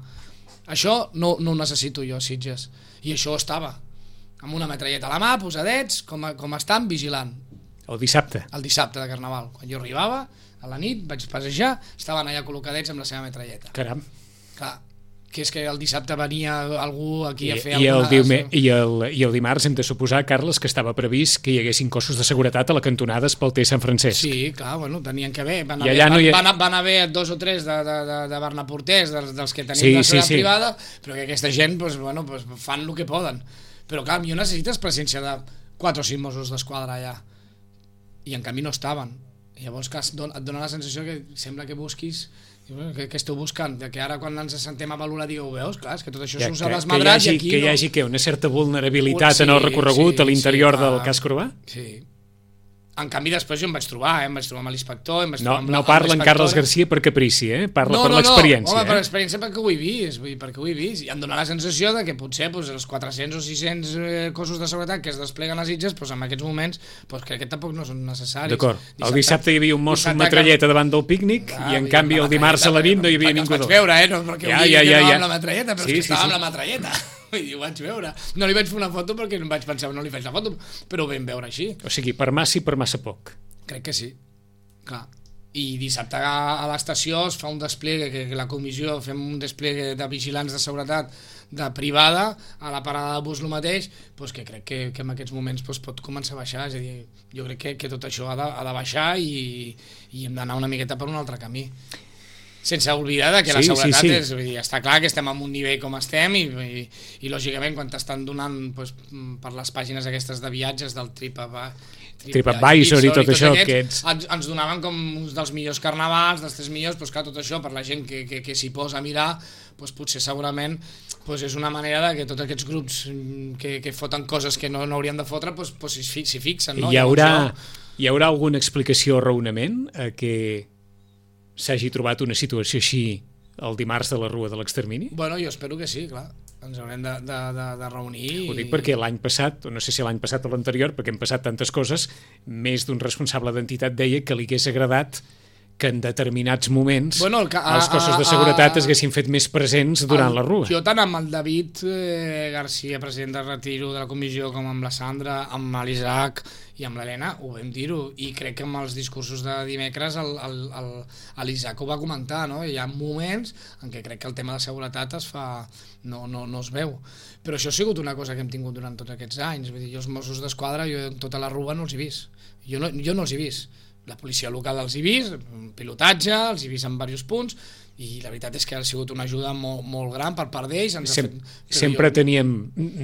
Això no, no ho necessito jo, Sitges. I això estava, amb una metralleta a la mà, posadets, com, a, com estan, vigilant. El dissabte? El dissabte de Carnaval. Quan jo arribava, a la nit, vaig passejar, estaven allà col·locadets amb la seva metralleta. Caram. Clar, que és que el dissabte venia algú aquí a fer I, alguna... el diume, i, el, I el dimarts hem de suposar, Carles, que estava previst que hi haguessin cossos de seguretat a la cantonada Espalter Sant Francesc. Sí, clar, bueno, tenien que haver. Van I haver, allà no hi ha... van, van haver dos o tres de, de, de, de Barnaporters, dels, dels que tenim sí, la seguretat sí, sí. privada, però que aquesta gent pues, bueno, pues, fan el que poden. Però clar, jo necessites presència de quatre o cinc Mossos d'Esquadra allà. I en canvi no estaven. I llavors que et dona la sensació que sembla que busquis... Què, què esteu buscant? Que ara quan ens assentem a valorar digueu, veus, clar, és que tot això ja, s'usa que, desmadrat que hi hagi, i aquí que hi no... hagi que una certa vulnerabilitat sí, en el recorregut sí, a l'interior sí, del casc urbà? Sí. En canvi després jo em vaig trobar, eh? em vaig trobar amb l'inspector, em vaig no, trobar amb la, no parla en Carles Garcia per caprici, eh? parla no, per no, l'experiència. No, home, eh? per l'experiència perquè ho he vist, vull dir, perquè ho he vist, i em dóna la sensació de que potser pues, els quatre-cents o sis-cents eh, cossos de seguretat que es despleguen a Sitges, pues, en aquests moments pues, crec que tampoc no són necessaris. D'acord, el dissabte hi havia un mosso amb metralleta que... davant del pícnic ah, i en canvi el dimarts a la nit no hi havia ningú. Els vaig veure, eh? No perquè ja, ho digui ja, que ja, no ja. amb la metralleta, però sí, és que sí, estava sí. amb la metralleta. Vull dir, ho vaig veure. No li vaig fer una foto perquè no vaig pensar, no li faig la foto, però ho vam veure així. O sigui, per massa i per massa poc. Crec que sí, clar. I dissabte a l'estació es fa un despliegue, que la comissió fem un despliegue de vigilants de seguretat de privada a la parada de bus el mateix, doncs que crec que, que en aquests moments doncs, pot començar a baixar, és a dir, jo crec que, que tot això ha de, ha de baixar i, i hem d'anar una miqueta per un altre camí. Sense oblidar que sí, la seguretat sí, sí. és, vull dir, està clar que estem en un nivell com estem i, i, i lògicament quan t'estan donant doncs, per les pàgines aquestes de viatges del TripAdvisor TripAdvisor i tot això aquests, que ets... ens, ens donaven com uns dels millors carnavals, dels tres millors, doncs clar, tot això per la gent que, que, que s'hi posa a mirar, doncs potser segurament doncs és una manera de que tots aquests grups que, que foten coses que no, no haurien de fotre doncs, doncs s'hi fixen, no? Hi haurà, hi haurà alguna explicació o raonament a que s'hagi trobat una situació així el dimarts de la Rua de l'Extermini? Bueno, jo espero que sí, clar. Ens haurem de, de, de, de reunir. Ho dic perquè l'any passat, o no sé si l'any passat o l'anterior, perquè hem passat tantes coses, més d'un responsable d'entitat deia que li hagués agradat que en determinats moments bueno, el, a, els cossos de seguretat a, a, es haguessin fet més presents durant el, la Rua. Jo tant amb el David eh, Garcia, president de Retiro de la comissió, com amb la Sandra, amb l'Isaac i amb l'Helena, ho vam dir-ho, i crec que amb els discursos de dimecres l'Isaac ho va comentar, no? Hi ha moments en què crec que el tema de seguretat es fa... No, no, no es veu. Però això ha sigut una cosa que hem tingut durant tots aquests anys. Vull dir, jo els Mossos d'Esquadra, jo tota la Rua no els he vist. Jo no, jo no els he vist. La policia local els he vist, pilotatge, els he vist en diversos punts, i la veritat és que ha sigut una ajuda molt, molt gran per part d'ells. Sem fet... Sempre jo... teníem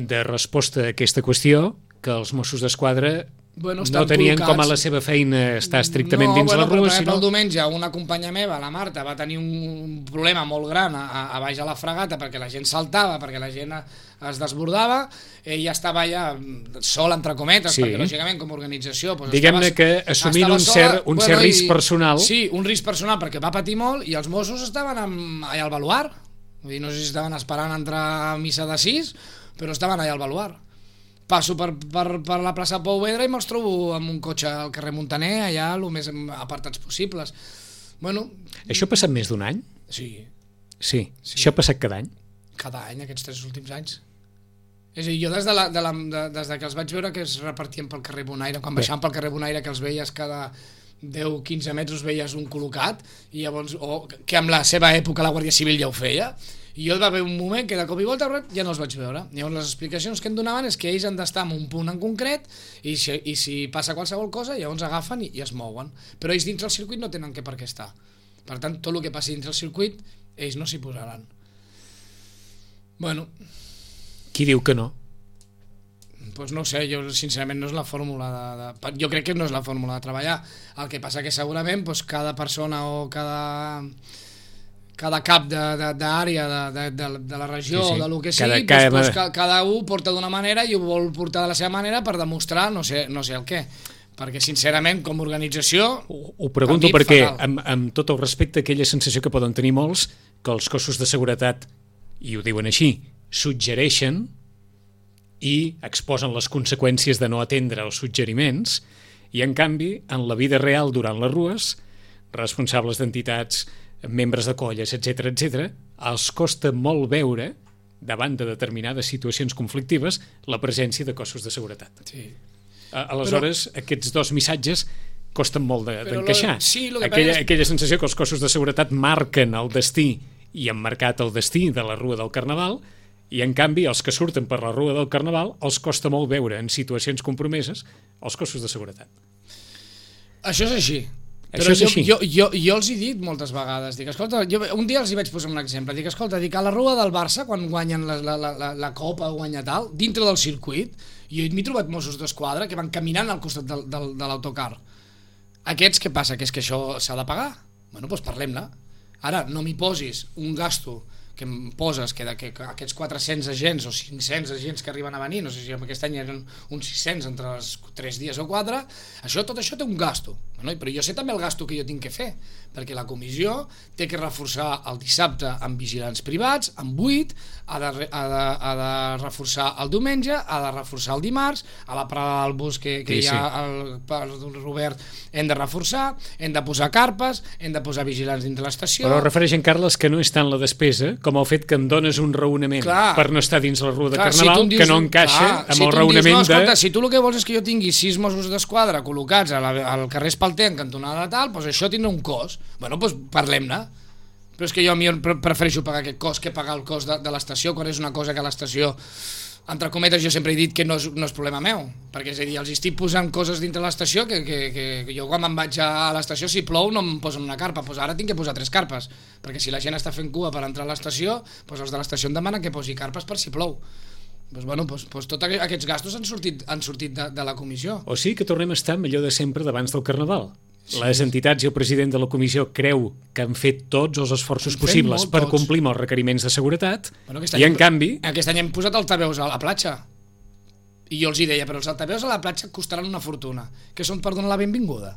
de resposta a aquesta qüestió que els Mossos d'Esquadra bueno, no tenien col·locats. Com a la seva feina estar estrictament no, dins bueno, la Rua. No, sinó... el diumenge una companya meva, la Marta, va tenir un problema molt gran a, a baix a la fregata perquè la gent saltava, perquè la gent es desbordava, ella estava allà sol, entre cometes, sí. Perquè lògicament com a organització... Doncs, diguem-ne que assumint un cert, un bueno, cert risc personal... Sí, un risc personal perquè va patir molt i els Mossos estaven amb, allà al baluar. Vull dir, no sé si estaven esperant entrar a missa de sis, però estaven allà al baluar. Passo per, per, per la plaça Pau Vedra i me'ls trobo amb un cotxe al carrer Montaner, allà el més apartats possibles. Bueno, això ha passat més d'un any? Sí. Sí, sí. Això ha passat cada any? Cada any, aquests tres últims anys. És a dir, jo des de, la, de, la, de, des de que els vaig veure que es repartien pel carrer Bonaire, quan baixaven pel carrer Bonaire que els veies cada deu a quinze metres veies un col·locat, i llavors, o que amb la seva època la Guàrdia Civil ja ho feia, i jo va haver un moment que de cop i volta ja no els vaig veure. Llavors les explicacions que em donaven és que ells han d'estar en un punt en concret i si, i si passa qualsevol cosa llavors agafen i, i es mouen, però ells dintre el circuit no tenen que per què estar. Per tant, tot el que passi dintre el circuit ells no s'hi posaran. Bueno, qui diu que no? pues no ho sé, jo sincerament no és la fórmula de, de... Jo crec que no és la fórmula de treballar. El que passa que segurament pues, cada persona o cada... cada cap d'àrea de, de, de, de, de la regió sí, sí. o de lo que sigui, cada, pues, pues, cada, cada un porta d'una manera i ho vol portar de la seva manera per demostrar no sé, no sé el què. Perquè sincerament com a organització ho, ho pregunto perquè amb, amb tot el respecte aquella sensació que poden tenir molts que els cossos de seguretat, i ho diuen així, suggereixen i exposen les conseqüències de no atendre els suggeriments i en canvi en la vida real durant les rues responsables d'entitats, membres de colles, etcètera etcètera, els costa molt veure davant de determinades situacions conflictives la presència de cossos de seguretat. Sí. Aleshores, però... aquests dos missatges costen molt d'encaixar. De, sí, aquella, és... aquella sensació que els cossos de seguretat marquen el destí i han marcat el destí de la Rua del Carnaval i en canvi els que surten per la Rua del Carnaval els costa molt veure en situacions compromeses els cossos de seguretat. Això és així. Això Però és jo, així. Jo, jo, jo els he dit moltes vegades, dic, escolta, jo, un dia els hi vaig posar un exemple, dic, escolta, dic, a la Rua del Barça, quan guanyen la, la, la, la Copa o guanya tal, dintre del circuit, jo m'he trobat Mossos d'Esquadra que van caminant al costat del, del, de l'autocar. Aquests, què passa? Que és que això s'ha de pagar? Bueno, doncs parlem-ne. Ara, no m'hi posis un gasto que em poses que, de, que, que aquests quatre-cents agents o cinc-cents agents que arriben a venir, no sé si aquest any eren uns sis-cents entre els tres dies o quatre, això, tot això té un gasto. Bueno, però jo sé també el gasto que jo tinc que fer, perquè la comissió té que reforçar el dissabte amb vigilants privats, amb vuit, ha de, ha de, ha de reforçar el diumenge, ha de reforçar el dimarts, a la parada del bus que, que sí, hi ha sí. el, el Robert hem de reforçar, hem de posar carpes, hem de posar vigilants dintre l'estació. Però refereix en Carles que no és tant la despesa com el fet que em dones un raonament clar, per no estar dins la Rua de clar, Carnaval, si dius, que no encaixa clar, amb si el raonament dius, no, escolta, de... Si tu el que vols és que jo tingui sis Mossos d'Esquadra col·locats al, al carrer Espalter en cantonada tal, doncs això tindrà un cost. Bueno, doncs parlem-ne. Però és que jo a mi prefereixo pagar aquest cost que pagar el cost de, de l'estació, quan és una cosa que l'estació, entre cometes, jo sempre he dit que no és, no és problema meu, perquè és a dir, els estic posant coses dintre l'estació que, que, que, que jo quan me'n vaig a l'estació, si plou no em posen una carpa, doncs ara tinc que posar tres carpes, perquè si la gent està fent cua per entrar a l'estació, doncs els de l'estació em demanen que posi carpes per si plou. Doncs, bueno, doncs, doncs tots aquests gastos han sortit, han sortit de, de la comissió. O sigui que tornem a estar millor de sempre d'abans del Carnaval. Sí. Les entitats i el president de la comissió creu que han fet tots els esforços possibles per tots. complir amb els requeriments de seguretat bueno, i en canvi... Aquest any hem posat altaveus a la platja i jo els hi deia, però els altaveus a la platja costaran una fortuna, que són per donar la benvinguda.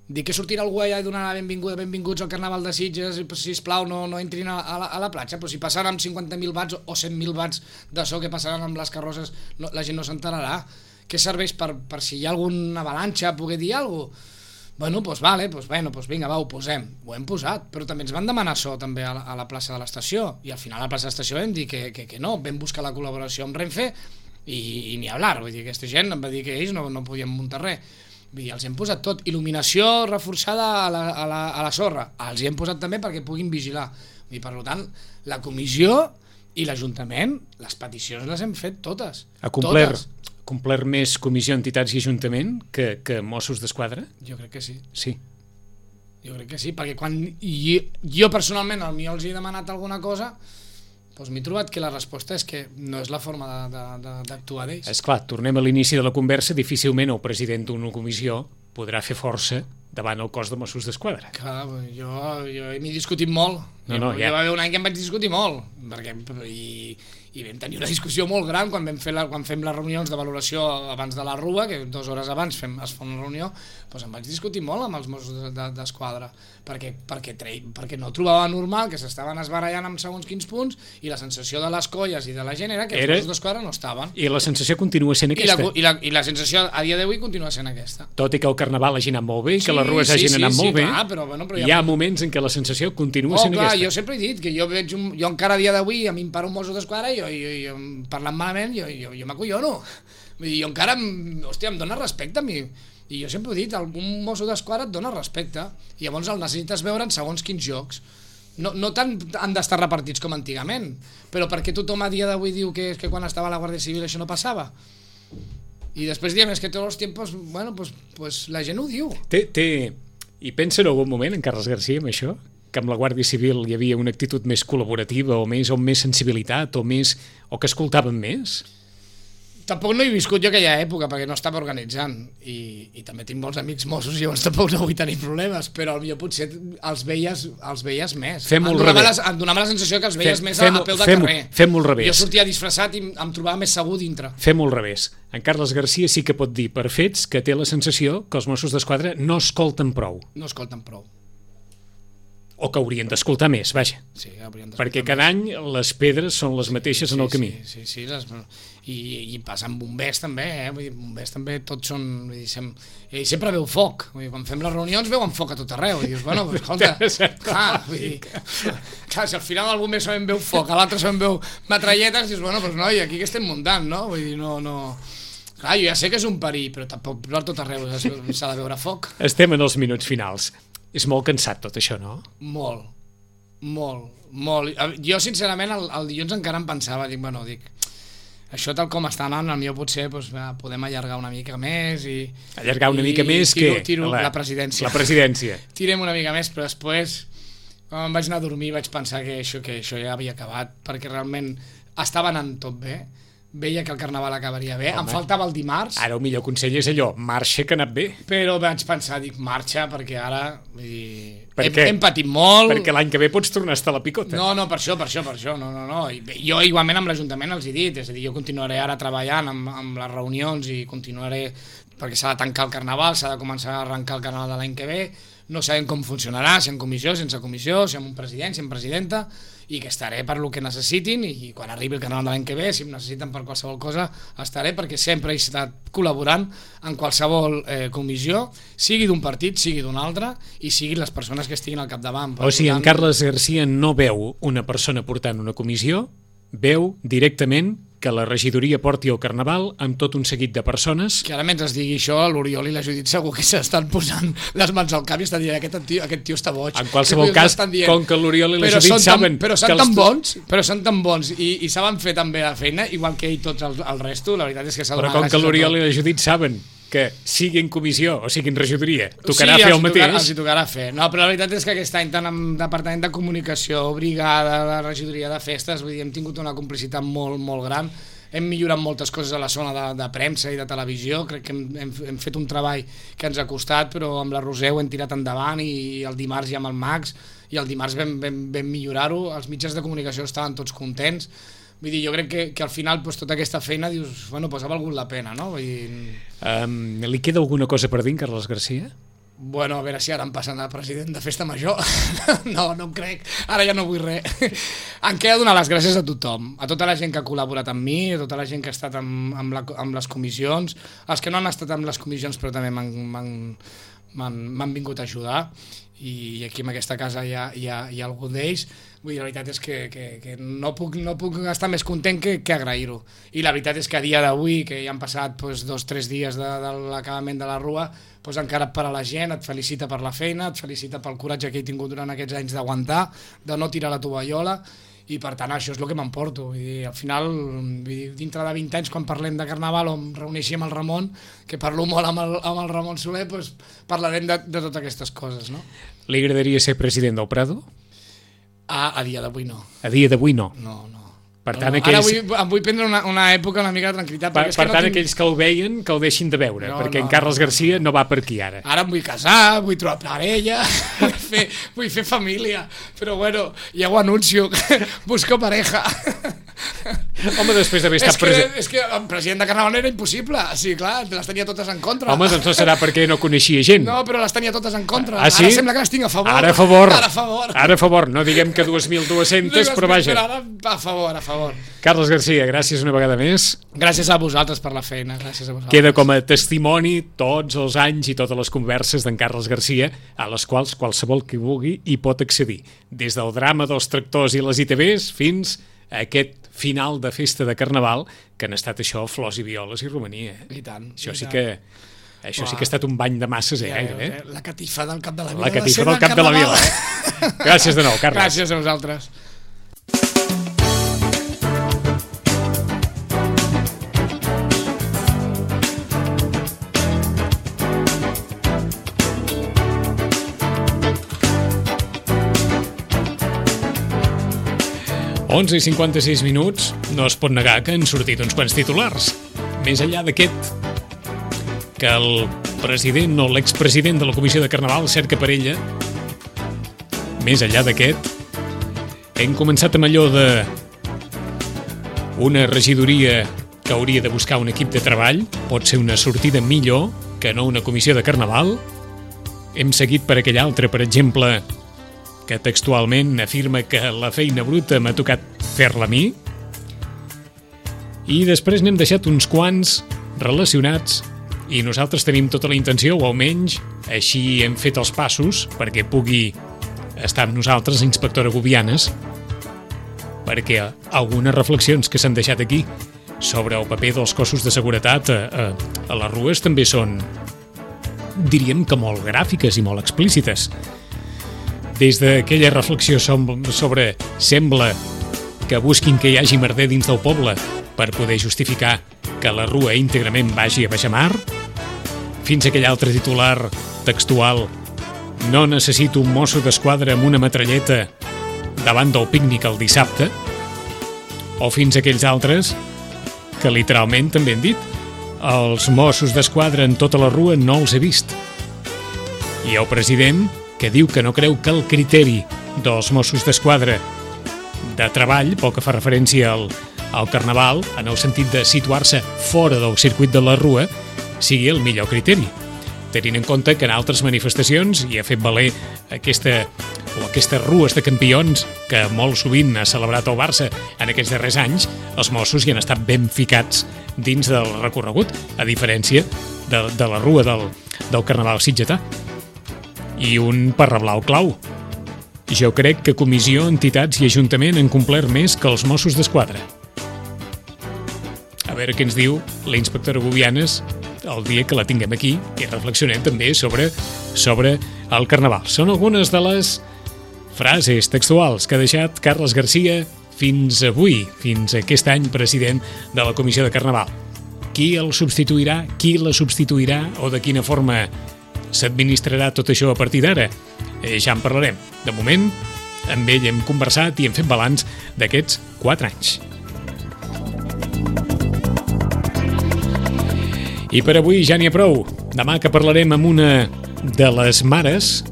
Dic que sortirà algú allà i donar la benvinguda, benvinguts al Carnaval de Sitges, sisplau, no, no entrin a, a, la, a la platja, però si passaran amb cinquanta mil watts o cent mil watts de so que passaran amb les carrosses, no, la gent no s'enterarà. Què serveix per, per si hi ha alguna avalanxa poder dir alguna cosa? Bueno, doncs vale, doncs bueno, doncs vinga, va, ho posem. Ho hem posat, però també ens van demanar això també a la, a la plaça de l'estació, i al final a la plaça de l'estació vam dir que, que, que no, vam buscar la col·laboració amb Renfe i, i ni hablar, vull dir, aquesta gent em va dir que ells no, no podien muntar res. I els hem posat tot, il·luminació reforçada a la, a la, a la sorra, els hi hem posat també perquè puguin vigilar. I per tant, la comissió i l'Ajuntament, les peticions les hem fet totes. Ha complert, totes. complert més comissió, entitats i Ajuntament que, que Mossos d'Esquadra? Jo crec que sí. Sí. Jo crec que sí, perquè quan jo, jo personalment al millor els he demanat alguna cosa, doncs m'he trobat que la resposta és que no és la forma d'actuar d'ells. És clar, tornem a l'inici de la conversa, difícilment el president d'una comissió podrà fer força davant el cos de Mossos d'Esquadra. Clar, jo, jo m'he discutit molt. No, no, jo, ja. Hi va haver un any que em vaig discutir molt, perquè, i, i vam tenir una discussió molt gran quan vam fer la, quan fem les reunions de valoració abans de la Rua, que dues hores abans fem, es fa una reunió, doncs em vaig discutir molt amb els Mossos d'Esquadra, perquè, perquè, perquè no trobava normal que s'estaven esbarallant amb segons quins punts i la sensació de les colles i de la gent era que els era... Mossos d'Esquadra no estaven. I la sensació continua sent aquesta. I la, i la, i la sensació a dia d'avui continua sent aquesta. Tot i que el Carnaval hagi anat molt bé, sí, que les rues sí, hagin sí, anat sí, molt sí, bé, clar, però, bueno, però hi ha moments en què la sensació continua oh, sent clar, aquesta. Jo sempre he dit que jo veig un, jo encara a dia d'avui a mi em para un Mosso d'Esquadra i jo, jo, jo, parlant malament jo, jo, jo m'acollono. Jo encara, hòstia, em dóna respecte a mi. I jo sempre he dit, un Mosso d'Esquadra et dona respecte i llavors el necessites veure en segons quins jocs. No, no tant han d'estar repartits com antigament, però perquè tothom a dia d'avui diu que, que quan estava a la Guàrdia Civil això no passava. I després diem, és que tots els temps, bueno, pues, pues la gent ho diu. Té, té... I pensa en algun moment, en Carles Garcia, amb això? Que amb la Guàrdia Civil hi havia una actitud més col·laborativa o més, o més sensibilitat o més o que escoltaven més? tampoc no he viscut jo aquella època perquè no estava organitzant i, i també tinc molts amics Mossos i llavors tampoc no vull tenir problemes, però jo potser els veies, els veies més. Fem-ho al em donava, revés. la, em donava la sensació que els veies Fem, més fem, a, a peu de fem, carrer. Fem-ho al revés. Jo sortia disfressat i em trobava més segur dintre. Fem-ho al revés. En Carles Garcia sí que pot dir per fets que té la sensació que els Mossos d'Esquadra no escolten prou. No escolten prou. O que haurien d'escoltar més, vaja. Sí, perquè cada any les pedres són les mateixes sí, en el camí. Sí, sí, sí les, i, i passa amb bombers també, eh? Vull dir, bombers també tots són... Vull dir, sem, i sempre veu foc. Vull dir, quan fem les reunions veuen foc a tot arreu. I dius, bueno, pues, escolta, clar, vull dir, clar, si al final el bomber solament veu foc, a l'altre solament veu metralletes, dius, bueno, pues noi, aquí que estem muntant, no? Vull dir, no... no... Clar, jo ja sé que és un perill, però tampoc per tot arreu s'ha de veure foc. Estem en els minuts finals. És molt cansat tot això, no? Molt, molt, molt. Jo, sincerament, el, el dilluns encara em pensava, dic, bueno, dic, això tal com està anant, el millor potser doncs, podem allargar una mica més i... Allargar una i, mica més tiro, que... Tiro la, la presidència. La presidència. Tirem una mica més, però després, quan em vaig anar a dormir, vaig pensar que això, que això ja havia acabat, perquè realment estava anant tot bé. Veia que el Carnaval acabaria bé. Home, em faltava el dimarts. Ara el millor consell és allò, marxa que ha anat bé. Però vaig pensar, dic, marxa, perquè ara vull dir, per hem, hem patit molt. Perquè l'any que ve pots tornar a estar a la picota. No, no, per això, per això, per això. No, no, no. I jo igualment amb l'Ajuntament els he dit, és a dir, jo continuaré ara treballant amb, amb les reunions i continuaré, perquè s'ha de tancar el Carnaval, s'ha de començar a arrencar el Carnaval de l'any que ve, no sabem com funcionarà, si en comissió, sense comissió, si amb un president, si amb presidenta, i que estaré per lo que necessitin i quan arribi el Carnaval de l'any que ve, si em necessiten per qualsevol cosa, estaré perquè sempre he estat col·laborant en qualsevol eh, comissió, sigui d'un partit, sigui d'un altre, i siguin les persones que estiguin al capdavant. O sigui, en Carles Garcia no veu una persona portant una comissió, veu directament que la regidoria porti el Carnaval amb tot un seguit de persones. Que ara mentre es digui això, l'Oriol i la Judit segur que s'estan posant les mans al cap i estan dient aquest tio, aquest tio està boig. En qualsevol cas, com que l'Oriol i la Judit saben... Però són que tan els... bons, però són tan bons i, i saben fer tan bé la feina, igual que ell tots el, el resto, la veritat és que s'ha donat Però com que l'Oriol i la Judit saben que sigui en comissió o sigui en regidoria, tocarà sí, fer el mateix. Sí, els hi tocarà fer. No, però la veritat és que aquest any, tant amb Departament de Comunicació, Brigada, la regidoria de festes, vull dir, hem tingut una complicitat molt, molt gran. Hem millorat moltes coses a la zona de, de premsa i de televisió, crec que hem, hem, hem fet un treball que ens ha costat, però amb la Roser ho hem tirat endavant i el dimarts ja amb el Max, i el dimarts vam, vam, vam millorar-ho, els mitjans de comunicació estaven tots contents. Vull dir, jo crec que, que al final pues, tota aquesta feina dius, bueno, pues ha valgut la pena, no? Vull dir... Um, li queda alguna cosa per dir, Carles Garcia? Bueno, a veure si ara em passen a president de Festa Major. No, no em crec. Ara ja no vull res. Em queda donar les gràcies a tothom, a tota la gent que ha col·laborat amb mi, a tota la gent que ha estat amb, amb, la, amb les comissions, els que no han estat amb les comissions però també m'han vingut a ajudar, i aquí en aquesta casa hi ha, hi ha, hi ha algun d'ells. Vull dir, la veritat és que, que, que no, puc, no puc estar més content que, que agrair-ho. I la veritat és que a dia d'avui, que ja han passat pues, dos o tres dies de, de l'acabament de la Rua, pues, encara et para la gent, et felicita per la feina, et felicita pel coratge que he tingut durant aquests anys d'aguantar, de no tirar la tovallola, i per tant això és el que m'emporto. Vull dir, al final, vull dir, dintre de vint anys, quan parlem de Carnaval o em reuneixi amb el Ramon, que parlo molt amb el, amb el Ramon Soler, pues, parlarem de, de totes aquestes coses, no? Li agradaria ser president del Prado? A, a dia d'avui no. A dia d'avui no? No, no. Per tant, no, no. aquells... Ara vull, em vull prendre una, una època una mica de tranquil·litat. Per, és per que tant, no tinc... aquells que el veien, que el deixin de veure, no, perquè no, en Carles no, Garcia no. no va per aquí ara. Ara em vull casar, vull trobar parella, vull fer, vull fer família, però bueno, ja ho anuncio, busco pareja. Home, després d'haver estat president... És que el president de Carnaval era impossible, sí, clar, les tenia totes en contra. Home, doncs no serà perquè no coneixia gent. No, però les tenia totes en contra. Ah, sí? Ara sembla que les tinc a favor. Ara a favor. Ara a favor. Ara a favor. No diguem que dues mil dues-centes, però vaja. Però ara a favor, a favor. Carles Garcia, gràcies una vegada més. Gràcies a vosaltres per la feina, gràcies a vosaltres. Queda com a testimoni tots els anys i totes les converses d'en Carles Garcia, a les quals qualsevol que vulgui hi pot accedir. Des del drama dels tractors i les I T Vs fins a aquest final de festa de Carnaval, que han estat això, flors i violes i romania. I tant. Això i sí tant. que... Això sí que ha estat un bany de masses, eh, ja, gairebé. Eh? La catifa del cap de la vila. La catifa del cap de la vila. Gràcies de nou, Carles. Gràcies a vosaltres. onze i cinquanta-sis minuts, no es pot negar que han sortit uns quants titulars. més enllà d'aquest, que el president o l'expresident de la Comissió de Carnaval cerca per ella, més enllà d'aquest, hem començat amb allò de una regidoria que hauria de buscar un equip de treball, pot ser una sortida millor que no una comissió de Carnaval. Hem seguit per aquell altre, per exemple, que textualment afirma que la feina bruta m'ha tocat fer-la a mi. I després n'hem deixat uns quants relacionats i nosaltres tenim tota la intenció, o almenys així hem fet els passos perquè pugui estar amb nosaltres la inspectora Gubianes, perquè algunes reflexions que s'han deixat aquí sobre el paper dels cossos de seguretat a, a, a les rues també són, diríem que molt gràfiques i molt explícites. Des d'aquella reflexió sobre sembla que busquin que hi hagi merder dins del poble per poder justificar que la rua íntegrament vagi a baixamar, fins a aquell altre titular textual: no necessito un mosso d'esquadra amb una metralleta davant del pícnic el dissabte, o fins a aquells altres que literalment també han dit: els Mossos d'Esquadra en tota la rua no els he vist. I el president, que diu que no creu que el criteri dels Mossos d'Esquadra de treball, pel que fa referència al, al Carnaval, en el sentit de situar-se fora del circuit de la rua, sigui el millor criteri, tenint en compte que en altres manifestacions hi ha fet valer aquesta, o aquestes rues de campions que molt sovint ha celebrat el Barça en aquests darrers anys, els Mossos hi han estat ben ficats dins del recorregut, a diferència de, de la rua del, del Carnaval sitgetà. I un parrablau clau. Jo crec que comissió, entitats i ajuntament han complert més que els Mossos d'Esquadra. A veure què ens diu la inspectora Gubianes el dia que la tinguem aquí i reflexionem també sobre, sobre el Carnaval. Són algunes de les frases textuals que ha deixat Carles Garcia fins avui, fins aquest any president de la Comissió de Carnaval. Qui el substituirà? Qui la substituirà? O de quina forma s'administrarà tot això a partir d'ara? Eh, ja en parlarem. De moment, amb ell hem conversat i hem fet balanç d'aquests quatre anys. I per avui ja n'hi ha prou. Demà que parlarem amb una de les mares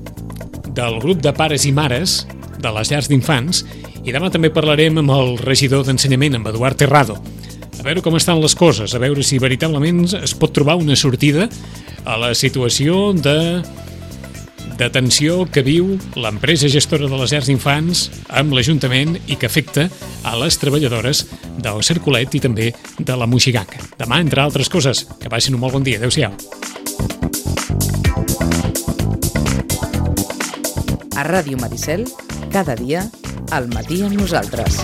del grup de pares i mares de les llars d'infants, i demà també parlarem amb el regidor d'Ensenyament, amb Eduard Terrado. A veure com estan les coses, a veure si veritablement es pot trobar una sortida a la situació de, de tensió que viu l'empresa gestora de les llars d'infants amb l'Ajuntament i que afecta a les treballadores del Cercolet i també de la Moixiganga. Demà, entre altres coses, que passin un molt bon dia. Adéu-siau. A Ràdio Maricel, cada dia, al matí amb nosaltres.